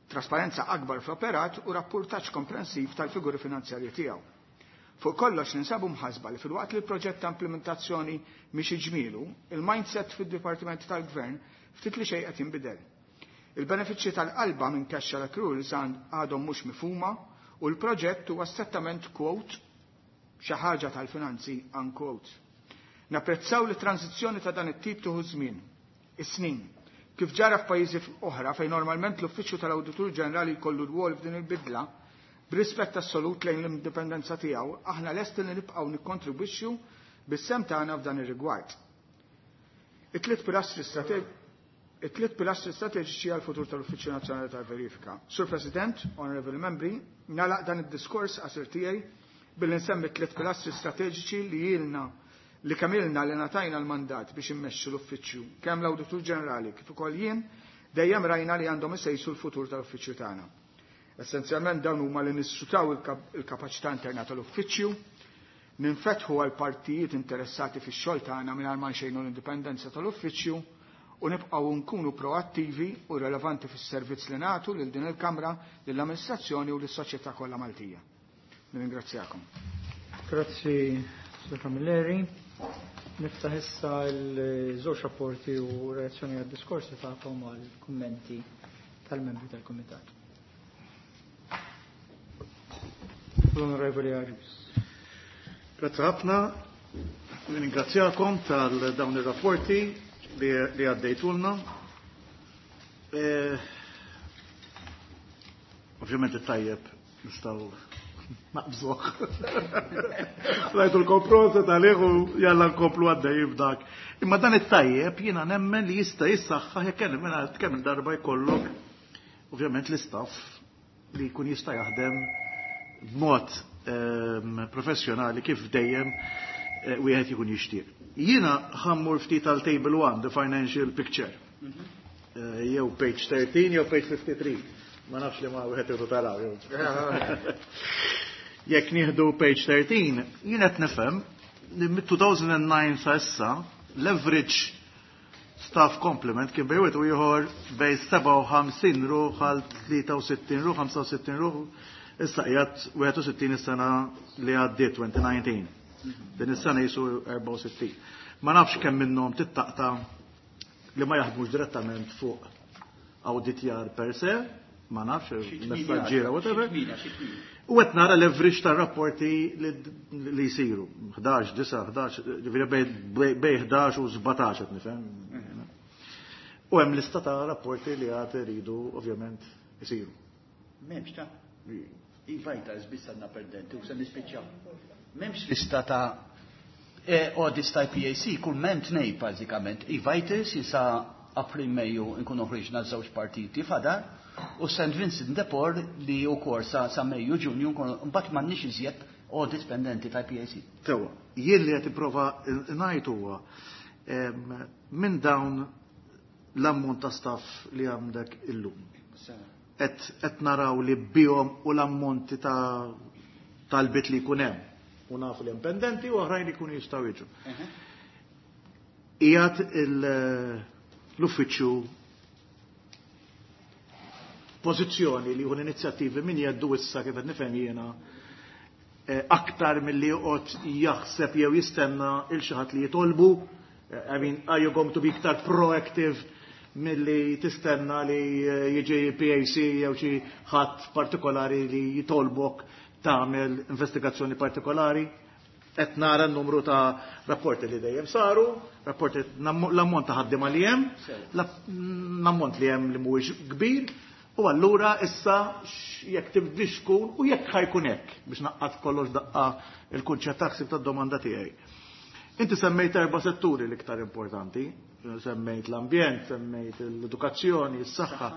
trasparenza akbar fl-operat u rapportaġġ komprensiv tal-figuri finanzjarji tiegħu. Fuq kollox ninsabu mħasba li filwaqt li l-proġett ta' implementazzjoni mhix iġmielu, il-mindset fid-Dipartiment tal-Gvern ftit li xejn qed jinbidel. Il-benefiċċji tal-qalba minn cash accruals għadhom mhux mifhuma u l-proġett huwa strettament quote xi ħaġa tal-finanzi unquote. Napprezzaw li tranzizzjoni ta' dan it-tip tieħu żmien, is-snin. Kif ġara f'pajjiżi oħra fejn normalment l-Uffiċċju tal-Awditur Ġenerali jkollu rwol f'din il-bidla, b'rispett assolut lejn l-indipendenza tiegħu, aħna lesti li nibqgħu nikkontribwixxu bis-sem tagħna f'dan ir-rigward. It-tliet pilastri it-tliet pilastri strateġiċi għal futur tal-Uffiċċju Nazzjonali tal-Verifika. Sur President, Honorable Membri, nagħlaq dan id-diskors qasir tiegħi billi nsemmi tliet pilastri strateġiċi li ilna li kamilna li natajna l-mandat biex immexxu l-uffiċċju, kemm l-Awditur Ġenerali kif ukoll jien, dejjem rajna li għandhom isejsu l-futur tal-uffiċċju tagħna. Essenzjalment dawn huma li nissutaw il-kapaċità interna tal-uffiċċju, ninfetħu għal partijiet interessati fix-xogħol tagħna mingħajr ma nxejnu l-indipendenza tal-uffiċċju u nibqgħu nkunu proattivi u relevanti fis-servizz li nagħtu lil din il-Kamra, lill-amministrazzjoni u lis-soċjetà kollha Maltija. Nirringrazzjakom. Grazzi, Sur Camilleri. Niftaħ issa l-żewġ rapporti u reazzjoni għad-diskorsi tagħkom għal kummenti tal-membri tal-Kumitat. L-Onorevoli Agius. Grazzi ħafna. Ringrazzjakom tal-dawn ir-rapporti li għaddejtulna. Ovvjament it-tajjeb nistgħu naqbżuh. Rajtu l-komprosa tal-eħu jalla nkomplu għaddej b'dak. Imma dan it-tajjeb jiena nemmen li jista' jissaħħaħ jekk kemm kemm il-darba jkollok ovvjament l-istaff li jkun jista' jaħdem b'mod professjonali kif dejjem wieħed jkun jixtieq. Jiena ħammur ftit għal table one, the financial picture. Jew page thirteen jew page fifty-three. Ma nafx li ma wieħed irid taraw jew. Jekk nieħdu page thirteen, jien qed nifhem li mit-two thousand and nine sa issa l-average staff complement kien bej wieħed u ieħor bej sebgħa u ħamsin ruħ għal tlieta u sittin ruħ, ħamsa u sittin ruħ, issa qiegħed wieħed u sittin is-sena li għaddiet twenty nineteen. Din is-sena jisu erbgħa u sittin. Ma nafx kemm minnhom tittaqta li ma jaħdmux direttament fuq awditjar per se, ma nafx, messaġġiera, whatever. U qed nara l-average tar-rapporti li jsiru. ħdax, disa, ħdax, ġifieri bej ħdax u sbatax qed nifhem. U hemm lista ta' rapporti li għad iridu ovvjament isiru. M'hemmx ta' Iva ta' biss għandna perdenti u se nispiċċaw. M'hemmx lista ta' audits ta' I P A C, kull m'hemm tnejn bażikament. E-Vitals jisa April Mejju nkunu ħriġna żewġ partiti fadar, u Saint Vincent de Paul li wkoll sa, sa Mejju Ġunju nkunu mbagħad m'għandniex iżjed audits pendenti ta' I P A C. Tewa, jien li qed nipprova ngħid huwa minn dawn l-ammont ta' staff li għandek illum. Qed naraw li bihom u l-ammonti ta' talbiet li jkun hemm. U nafu li hemm pendenti u oħrajn li jkunu jistgħu jiġu. Qiegħed l-uffiċċju pożizzjoni li jieħu l-inizjattivi min jeddu issa kif qed nifhem jiena aktar milli joqgħod jaħseb jew jistenna il xi ħadd li jitolbu. I mean, are you going to be iktar proactive Milli tistenna li jiġi P A C jew xi ħadd partikolari li jitolbok tagħmel investigazzjoni partikolari. Qed nara n-numru ta' rapporti li dejjem saru, rapporti, l-ammont ta' ħaddiema li hemm, l-ammont li hemm li mhuwiex kbir, u allura issa jekk tibdix tkun u jekk ħa jkun hekk biex naqqat kollox daqqa il-kunċett taħsib tad-domanda tiegħi. Inti semmejt erba' setturi l-iktar importanti, semmejt l-ambjent, semmejt l-edukazzjoni, s-saħħa.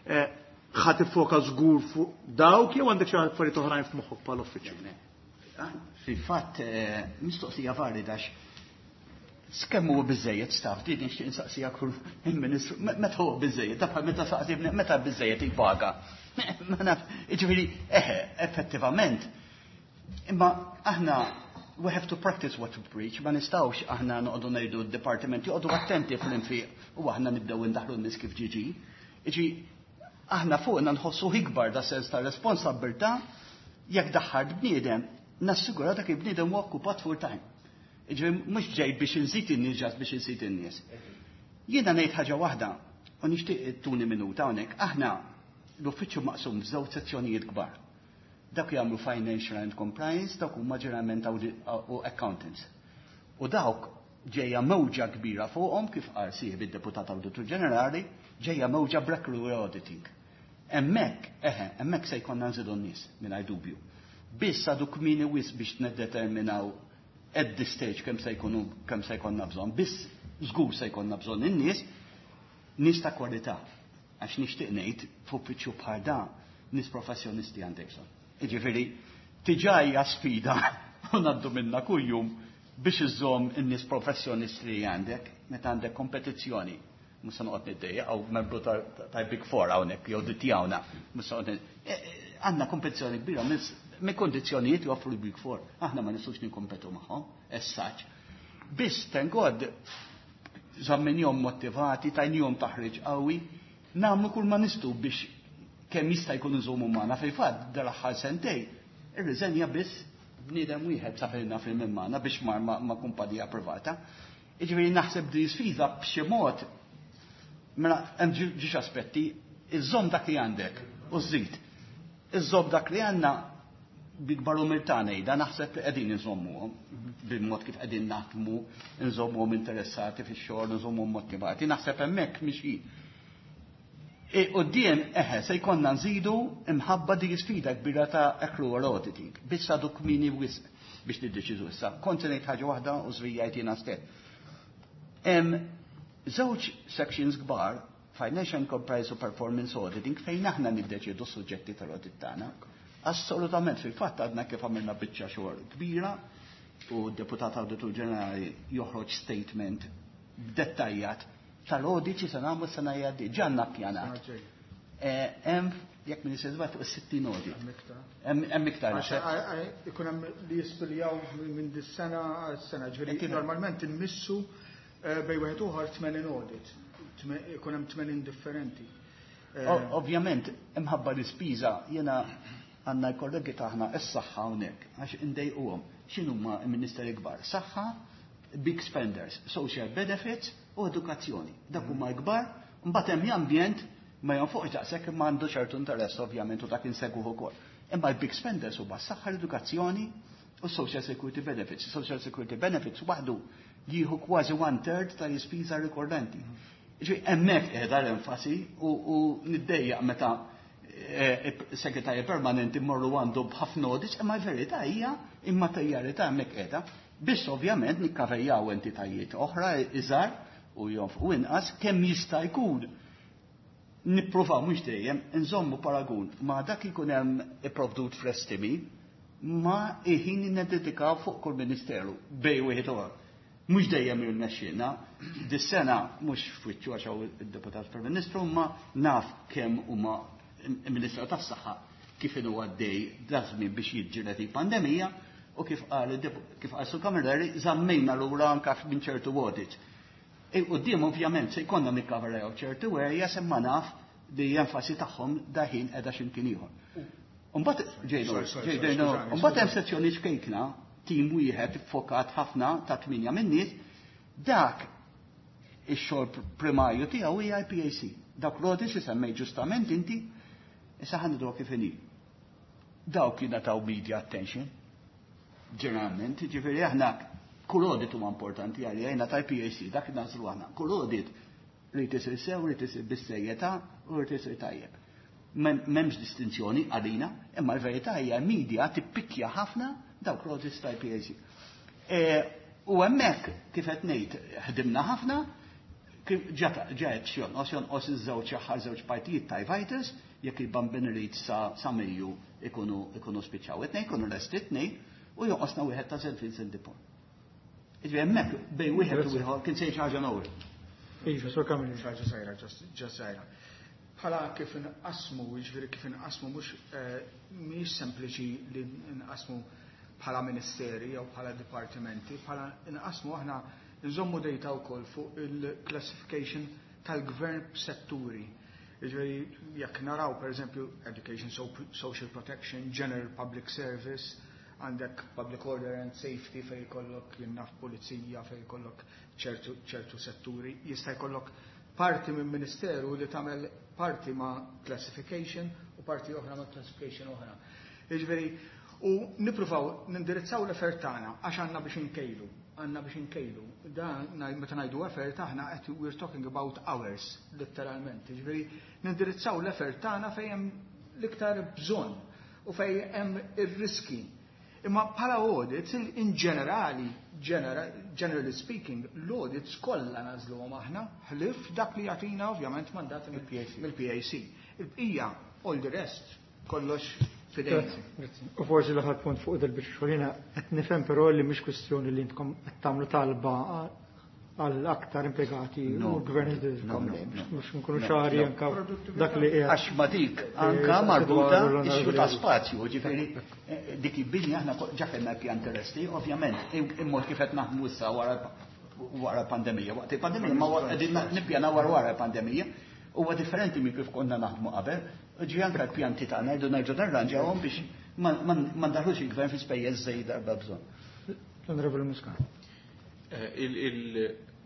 Eh, ħa tiffoka żgur fuq dawk jew għandek xi affarijiet oħrajn f'moħħok bħal uffiċċju? Ah, fil-fatt, eh, mistoqsija valida kemm huwa biżejjed staff, din nixtieq insaqsija kull il-Ministru, meta huwa biżejjed, ta' meta saqsi meta biżejjed il-paga. Ma naf, jiġifieri, eħe, effettivament. Imma aħna we have to practice what we preach, ma nistgħux aħna noqogħdu ngħidu d-dipartimenti joqogħdu attenti fl-infiq u aħna nibdew indaħlu n-nies kif ġiġi. Iġi, aħna fuqna nħossu ikbar da sens ta' responsabbiltà jekk daħħart bniedem, nassigura dak il-bniedem huwa okkupat full time. Iġi, mhux ġej biex inżid in-nies ġas biex inżid in-nies. Jiena ngħid ħaġa waħda, u nixtieq tuni minuta hawnhekk, aħna l-uffiċċju maqsum f'żewġ sezzjonijiet kbar. Dak jagħmlu financial and compliance, dak huma ġeneralment u accountants. U dawk ġejja mewġa kbira fuqhom, kif qal sieħeb id-deputat Awditur Ġenerali, ġejja mewġa b'accrual auditing. Hemmhekk, eħe, hemmhekk se jkollna nżidu n-nies mingħajr dubju. Biss għadu kmieni wisq biex niddeterminaw at this stage kemm se jkunu kemm se jkollna bżonn. Biss żgur se jkollna bżonn in-nies, nies ta' kwalità. Għax nixtieq ngħid, f'uffiċċju bħal da nies professjonisti għandek bżonn. Jiġifieri diġà hija sfida u ngħaddu minna kuljum biex iżżomm in-nies professjonisti li għandek meta għandek kompetizzjoni. Mhux se noqgħod niddejjaq għaw membru ta' Big Four hawnhekk jew dittjawna. Mhux se noqgħod, eh, eh, għandna kompetizzjoni kbira minn kondizzjonijiet joffru l-Big Four. Aħna ma nistgħux nikkompetu magħhom, as such. Biss, thank God, żamminjhom motivati, tajnihom taħriġ qawwi, nagħmlu kull ma nistgħu biex kemm jista' jkun iżommu magħna. Fil-fatt, dal-aħħar sentej, irriżenja biss bniedem wieħed safirna fil magħna biex mar ma', ma kumpanija privata. Jiġifieri naħseb di sfida b'xi mod, mela hemm ġiex aspetti, iżżomm dak li għandek u żid. Iżżomm dak li għandna bikbar umiltà ngħidha, naħseb li qegħdin inżommuhom bil-mod kif qegħdin naħdmu, nżommuhom interessati fix-xogħol, nżommuhom motivati, naħseb hemmhekk mixi. E, quddiem, eħe, se jkollna nżidu imħabba di sfida kbira ta' accrual auditing. Biss għadu kmieni wisq biex niddeċidu issa. Kont se ngħid ħaġa waħda u żvijajt jiena stess. Hemm żewġ sections kbar, Financial and Compliance u Performance Auditing, fejn aħna niddeċidu s-suġġetti tal-audit tagħna. Assolutament, fil-fatt għadna kif għamilna biċċa xogħol kbira u d-deputat Awditur Ġenerali joħroġ statement dettaljat tal-audit se nagħmlu sena jgħaddi, ġanna pjanat. Hemm, jekk minn jisir fuq is-sittin audit. Hemm iktar. Ikun hemm li jistudjaw minn dis-sena għas-sena, ġifieri normalment immissu eh, bejn wieħed ieħor tmenin audit. Ikun hemm tmenin differenti. Eh, ovvjament, imħabba l-ispiża, jiena għandna l-kollegi taħna s-saħħa hawnhekk għax indejquhom. X'inhuma l-ministeri kbar? Saħħa, big spenders, social benefits u edukazzjoni. Dak huma l-kbar, mbagħad hemm ambjent ma jonfoqx daqshekk imma għandu ċertu interess ovvjament u dak insegwuh ukoll. Imma l-big spenders huma s-saħħa, l-edukazzjoni u social security benefits. Social security benefits waħdu jieħu kważi one third tal-ispiża rikorrenti. Ġi hemmhekk qiegħda l-enfasi u, u niddejjaq meta eh, segretarji permanenti morru għandu b'ħafna audits, imma l-verità hija immaterjalità hemmhekk qiegħda. Biss ovvjament nikkavejjaw entitajiet oħra iżgħar u jonfqu inqas kemm jista' jkun. Nippruvaw mhux dejjem nżommu paragun ma' dak ikun hemm ipprovdut fl-estimi ma' il-ħin niddedikaw fuq kull ministeru bej wieħed uħor. Mhux dejjem irnexxielna, dis-sena mhux fwiċċu għax hawn id-deputat Prim Ministru, ma naf kemm huma il-Ministru tas-Saħħa kif inhu għaddej dażmin biex jiġġieled il-pandemija u kif qal kif qal Sur Camilleri, żammejna lura anke minn ċertu audits. Quddiem ovvjament se jkollna nikkaveraw ċertu areas, imma naf li enfasi tagħhom daħin qiegħda x'imkien ieħor. Mbagħad ġejnu, ġejnu, mbagħad hemm sezzjoni ċkejkna, tim wieħed fokat ħafna ta' tminja min-nies, dak ix-xogħol primarju tiegħu hija I P A C. Dawk l-audits li semmej ġustament inti, issa ħa ngħidu kif inhi. Dawk jingħataw media attention. Ġeneralment, ġifieri aħna kull audit huma importanti għalija ta' I P A C, dak nagħżlu aħna. Kull audit rrid isir sew, rrid isir bis-serjetà u rrid isir tajjeb. M'hemmx distinzjoni għalina, imma l-verità hija media tippikkja ħafna dawk l-audits ta' I P A C. E, u hemmhekk kif qed ngħid ħdimna ħafna, ġaet xjonqos jonqos iż-żewġ aħħar żewġ partijiet ta' Vitals, jekk il-Bambin Reed sa sa Mejju ikunu ikunu spiċċaw. It-tnejn ikunu lesti it-tnejn u jonqosna wieħed ta' Saint Vincent de Paul. Iġbi hemmhekk bejn wieħed u ieħor kien se xi ħaġa nowri. Iva, Sur Camilleri. Ħaġa żgħira, ġa żgħira. Bħala kif inqasmu, jiġifieri kif inqasmu mhux eh, mhijiex sempliċi li nqasmu bħala ministeri jew bħala dipartimenti, bħala inqasmu aħna nżommu data wkoll fuq il-classification tal-gvern b'setturi. Jiġifieri jekk naraw pereżempju education, social protection, general public service, għandek public order and safety fej jkollok jien naf pulizija, fej jkollok ċertu, ċertu setturi, jista' jkollok parti minn ministeru li tagħmel parti ma' classification u parti oħra ma' classification oħra. Jiġifieri, u nippruvaw nindirizzaw l-effort tagħna għax għandna biex inkejlu, għandna biex inkejlu. Da meta ngħidu effort aħna qed we're talking about hours, letteralment. Jiġifieri nindirizzaw l-effort tagħna fejn hemm l-iktar bżonn u fejn hemm ir-riski. Imma bħala audits, in ġenerali, generally speaking, l-audits kollha nagħżluhom aħna, ħlief dak li jagħtina ovvjament mandat mill-P A C. Il-bqija, all the rest, kollox fidejna. U forsi l-aħħar punt fuq dil-biċċa xogħol, qed nifhem però li mhix kwistjoni li intkom qed tagħmlu talba għal aktar impjegati u l-gvern jżidilkom, mhux nkunu ċari anka dak li qiegħed. Għax ma dik anka marbuta issue ta' spazju, ġifieri eh, dik il-binja aħna ġa kellna pjan terrestri, ovvjament, il-mod kif qed naħdmu issa wara wara pandemija. Waqt il-pandemija ma qegħdin nippjana wara wara pandemija, huwa differenti minn kif konna naħdmu qabel. Ġi anka l-pjanti tagħna rridu nerġgħu narranġawhom biex ma ndaħlux il-gvern fi spejjeż żejda darba bżonn. L-Onorevoli Muscat. Eh,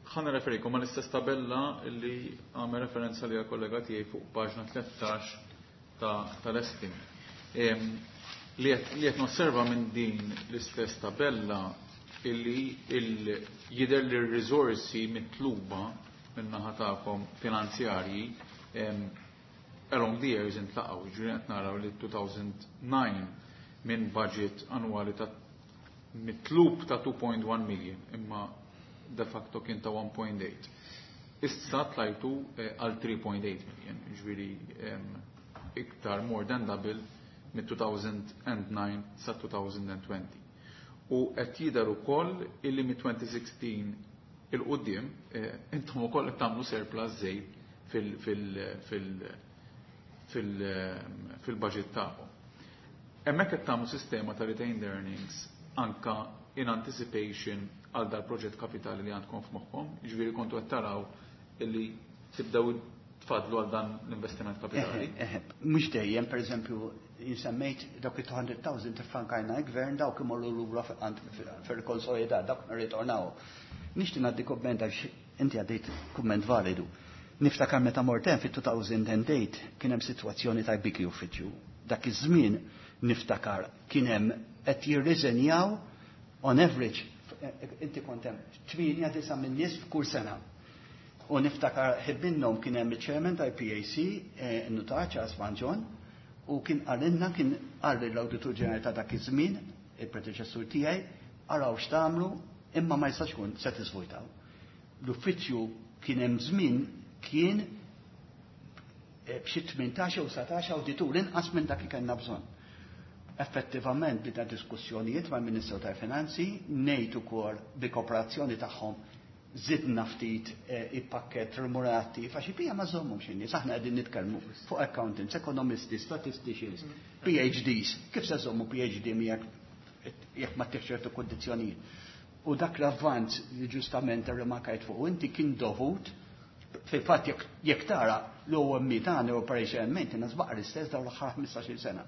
ħa nirreferikom ma l-istess tabella li għamel referenza li kollega tiegħi fuq paġna tlettax tal-estimi. Li qed nosserva minn din l-istess tabella illi jidher li r-riżorsi mitluba minn naħa tagħkom finanzjarji along the years intlaqgħu. Ġifieri qed naraw li elfejn u disgħa minn budget annwali ta' mitlub ta' two point one million imma de facto kien ta' one point eight. Issa tlajtu eh, għal three point eight million, ġifieri iktar more than double mit-elfejn u disgħa sa elfejn u għoxrin. U qed jidher ukoll illi mit-elfejn u sittax 'il quddiem eh, intom ukoll qed tagħmlu surplus żejt fil-budget tagħkom. Hemmhekk qed tagħmlu sistema ta' retained earnings anka in anticipation għal dal-proġett kapitali li għandkom f'moħħkom, ġifieri kontu qed taraw illi tibdew tfadlu għal dan l-investiment kapitali. Mhux dejjem, pereżempju, insemmejt dawk il-two hundred thousand tiffankajna gvern, dawk imorru lura fil-konsolidat, dawk nirritornaw. Nixtieq ngħaddi kumment għax inti għaddejt kumment validu. Niftakar meta mort hemm fit-elfejn u tmienja kien hemm sitwazzjoni ta' biki uffiċċju. Dak iż-żmien niftakar kien hemm qed jirriżenjaw on average, inti kont hemm, tmienja disa' minn nies f'kull sena. U niftakar ħib minnhom kien hemm il-chairman tal-P A C, eh, nutar Charles Van John, u kien qalilna, kien qal l-Awditur Ġenerali ta' dak iż-żmien, il-predeċessur tiegħi, araw x'tagħmlu imma ma jistax kun se tiżvojtaw. L-uffiċċju kien hemm żmien kien eh, b'xi tmintax u sbatax awditur inqas minn dak li kellna bżonn. Effettivament bida diskussjonijiet mal-Ministru tal-Finanzi, ngħid ukoll bi kooperazzjoni tagħhom zidna ftit eh, il-pakket remunerattiv, għax bija ma żommhom xi nies, aħna qegħdin nitkellmu fuq accountants, ekonomisti, statisticians, P H Ds. Kif se żommu P H D miegħek jekk ma tieħx ċertu kondizzjonijiet? U dak l-avvanz li ġustament rrimarkajt fuq inti kien dovut fil-fatt jekk tara l-O M tagħna, Operation and Maintenance, baqa' l-istess dawn l-aħħar ħmistax-il sena.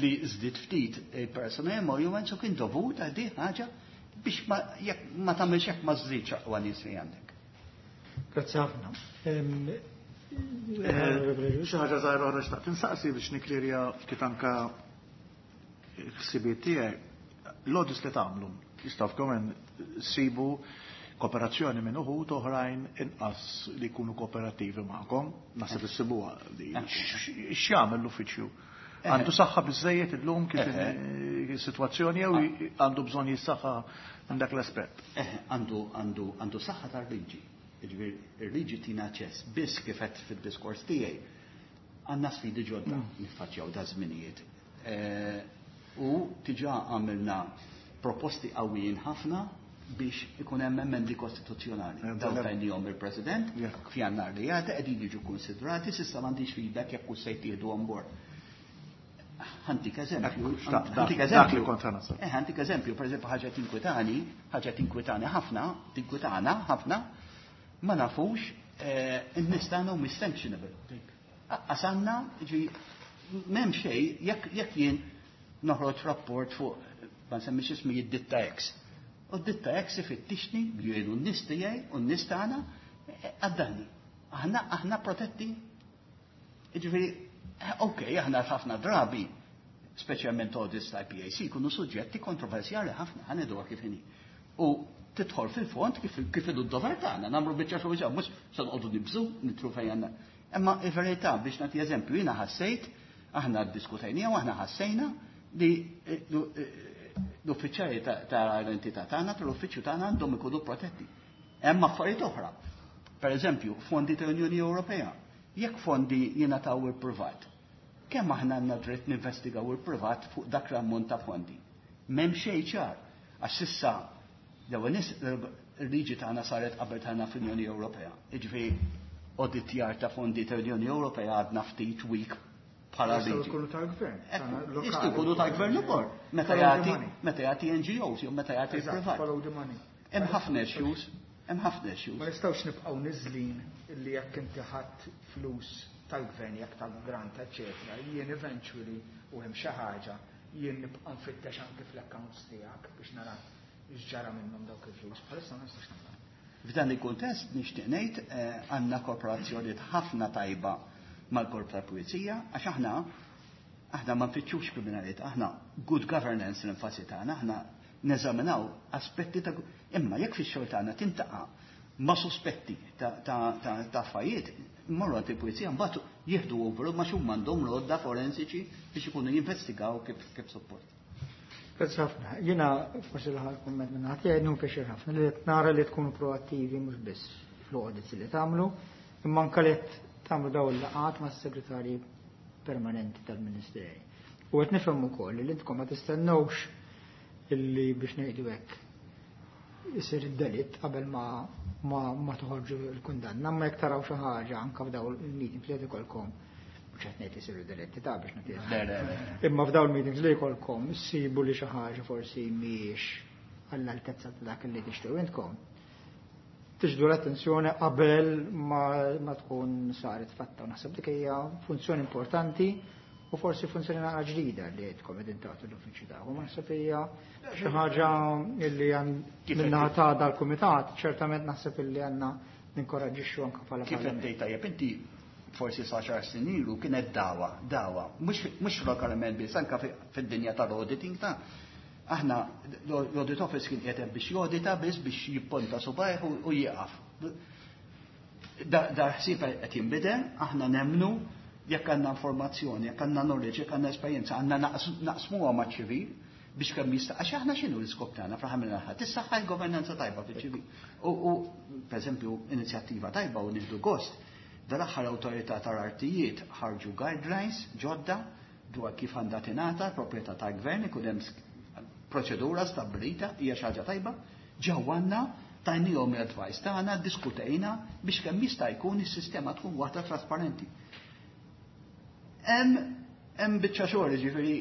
Li żdied ftit il-personnel emoluments u kien dovut għal di ħaġa biex ma jekk ma tagħmilx hekk ma żżidx aqwa nies li għandek. Grazzi ħafna. Xi ħaġa żgħira oħra xtaqt insaqsi biex niklirja ftit anka ħsibiet tiegħi. L-audits li tagħmlu jistgħu f'komen sibu kooperazzjoni minn uħud oħrajn inqas li jkunu kooperattivi magħkom, naħseb issibuha di. X'jagħmel l-uffiċċju? Għandu saħħa biżejjed illum kif is-sitwazzjoni jew għandu bżonn jissaħħa minn dak l-aspett? Għandu għandu għandu saħħa tal-liġi. Jiġifieri ir-liġi tina aċċess biss kif qed fid-diskors tiegħi għandna sfidi ġodda niffaċċjaw da żminijiet. U diġà għamilna proposti qawwijin ħafna biex ikun hemm emendi kostituzzjonali. Dawn tajnihom il-President f'Jannar li għadda qegħdin jiġu konsidrati, s'issa m'għandix feedback jekk hux se jittieħdu on board. Ħa ntik eżempju, ħa ntik eżempju. Eh, ħa ntik eżempju, per eżempju, ħaġa tinkwitani, ħaġa tinkwitani ħafna, tinkwitana ħafna, ma nafux in-nies tagħna u sanctionable. Għasanna, ġi, m'hemm xejn, jekk jien noħroġ rapport fuq, ma nsemmix ismi id-ditta X. U d-ditta X ifittixni, jgħidu n-nies tiegħi u n-nies tagħna għaddanni. Aħna aħna protetti. Jiġifieri, ok, aħna ħafna drabi, speċjalment audits ta' P A C, kunu suġġetti kontroversjali ħafna, ħa ngħidu kif inhi. U tidħol fil-fond kif kif idu d-dover tagħna, nagħmlu biċċa xogħol mhux se noqogħdu nibżu nitru fejn għandna. Imma il-verità biex nagħti eżempju, jiena ħassejt, aħna ddiskutejnija u aħna ħassejna li l-uffiċjali ta' l-entità tagħna tal-uffiċċju tagħna għandhom ikunu protetti. Hemm affarijiet oħra. Per eżempju, fondi tal-Unjoni Ewropea. Jekk fondi jingħataw il-privat, kemm aħna għandna dritt ninvestigaw il-privat fuq dak l-ammont ta' fondi? M'hemm xejn ċar. Għax s'issa l-ewwel nies il-liġi tagħna saret qabel tagħna fl-Unjoni Ewropea. Jiġifieri auditjar ta' fondi tal-Unjoni Ewropea għadna ftit weak bħala Jistgħu liġi. jkunu tal-gvern. Jistgħu jkunu tal-gvern ukoll. Meta jagħti meta jagħti N G Os jew meta jagħti Eżatt, privat. follow the money. Hemm ħafna issues, hemm ħafna issues. Ma nistgħux nibqgħu niżlin illi jekk inti ħadd flus tal-gvern, jekk tal-grant, eċetera, jien eventually u hemm xi ħaġa, jien nibqa' nfittex anke fl-accounts tiegħek biex nara x'ġara minnhom dawk il-flus. Bħalissa ma nistax nagħmel. F'dan il-kuntest nixtieq ngħid eh, għandna kooperazzjoni ħafna tajba mal-Korp tal-Pulizija għax aħna aħna ma nfittxux kriminalità, aħna good governance l-enfasi tagħna, aħna neżaminaw aspetti ta' imma jekk fix-xogħol tagħna tintaqa' ma' sospetti ta' ta' ta' ta' affarijiet, mmorru għand il-pulizija mbagħad jieħdu over ma xum m'għandhom lodda forensiċi biex ikunu jinvestigaw kif kif suppost. Grazzi ħafna. Jiena forsi l-aħħar kumment minn ħadd jgħid pjaċir ħafna li qed nara li tkunu proattivi mhux biss fl-audits li tagħmlu, imma anke li qed tagħmlu dawn il-laqgħat mas-segretarji permanenti tal-Ministeri. U qed nifhem ukoll li intkom ma tistennewx illi biex ngħidu hekk isir id-delitt qabel ma ma, ma toħorġu l-kundanna, ma jekk taraw xi ħaġa anke f'dawn il-meetings li qed ikolkom, mhux qed ngħid isiru delitti ta' biex nagħti. Le, le, le. Imma f'dawn il-meetings li jkollkom issibu li xi ħaġa forsi mhijiex għall-altezza ta' dak li tixtiequ intkom. Tiġdu l-attenzjoni qabel ma, ma tkun saret fatta. U naħseb dik hija funzjoni importanti u forsi funzjoni naqra ġdida li għedkom qegħdin tagħtu l-uffiċċju tagħkom. Naħseb hija xi ħaġa illi Kif minnaħa qed- ta' dal-kumitat, ċertament naħseb illi għandna ninkoraġġixxu anke bħala Kif qed parlament. tgħid tajjeb inti, forsi sa xar snin ilu kienet dawa, dawa, mhux mhux lokalment biss, anke fi- fid-dinja tal-auditing ta' aħna l-audit office kien qiegħed biex jodita biss biex jipponta subajh u u jieqaf. Da da ħsieb qed jinbidel, aħna nemnu jekk għandna informazzjoni, jekk għandna knowledge, jekk għandna esperjenza, għandna naqs- naqsmuha maċ-ċivil biex kemm jista' għax aħna x'inhu l-iskop tagħna fl-aħħar mill-aħħar? Tissaħħa l-governanza tajba fiċ-ċivil. U, u per eżempju, inizjattiva tajba u nieħdu gost, dal-aħħar awtorità tal-artijiet ħarġu guidelines ġodda dwar kif għandha tingħata l-proprjetà tal-gvern, ikun hemm sk- proċedura stabbilita, hija xi ħaġa tajba, ġew għandna tajnihom l-advice tagħna, diskutejna biex kemm jista' jkun is-sistema tkun waħda trasparenti. Hemm hemm biċċa xogħol ġifieri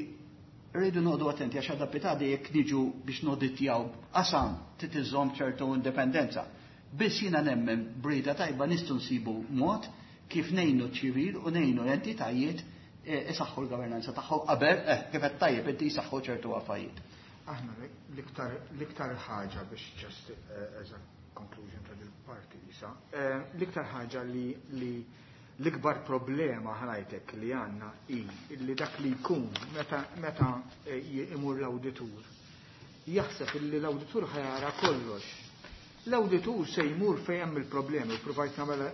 rridu noqogħdu attenti għax għadha pitadi jekk niġu biex noditjaw qasam trid iżżomm ċertu indipendenza. Biss jiena nemmen b'rieda tajba nistgħu nsibu mod kif ngħinu ċivil u ngħinu l-entitajiet eh, isaħħu l-governanza tagħhom qabel eh, kif qed tajjeb inti jsaħħu ċertu affarijiet. Aħna l-iktar l-iktar ħaġa biex just eh, as a conclusion ta' dil-parti isa. Eh, L-iktar ħaġa li li l-ikbar problema ħalajtek li għandna hi li dak li jkun meta meta eh, imur l-awditur jaħseb li l-awditur ħa jara kollox. L-awditur se jmur fejn hemm il-problemi, u provajt nagħmel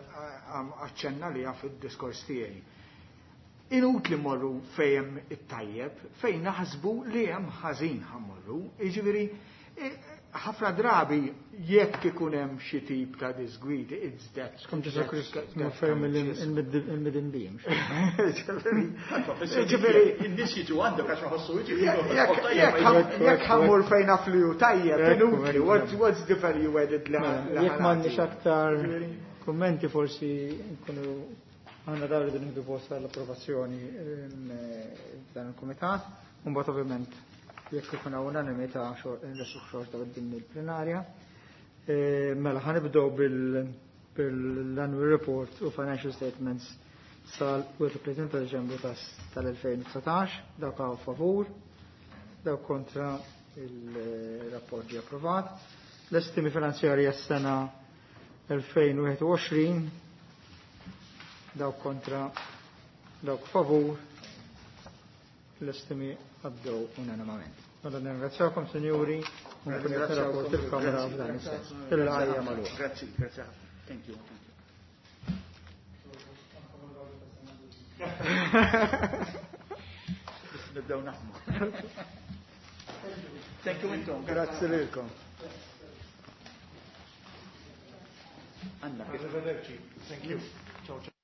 aċċenna li fid-diskors tiegħi. Inutli morru fejn it-tajjeb, fejn naħsbu li hemm ħażin ħa mmorru. Jiġifieri ħafna drabi jekk ikun hemm xi tip ta' disgwidi, it's that. Skont Ġesù Kristu ma ferm il-midinbin. Ġifieri, in-nies jiġu għandek għax ma ħossu jiġu. Jekk ħa mmur fejn naf li hu tajjeb, inutli, what's the value added li Jekk m'għandniex aktar kummenti, forsi nkunu għandna dawn li nieħdu post għall-approvazzjoni dan il-kumitat. Mbagħad ovvjament jekk ikun hawn unanimità nresqu xorta quddiem il-plenarja. Mela ħa nibdew bil-annual report u financial statements sal-tletin ta' Deċembru tal-elfejn u dsatax. Dawk hawn favur, dawk kontra, il-rapport ġie approvat. L-estimi finanzjarji għas-sena elfejn u wieħed u għoxrin, dawk kontra, dawk favur, l-estimi għaddew unanimament. Mela nirringrazzjakom, sinjuri, u nkun qed rapport il-Kamra f'dan is-sens. Il-laqgħa magħluqa. Grazzi, grazzi. Thank you. Thank you. Nibdew naħdmu. Thank you intom. Grazzi lilkom. Anna. Arrivederci. Thank you. Ciao, ciao.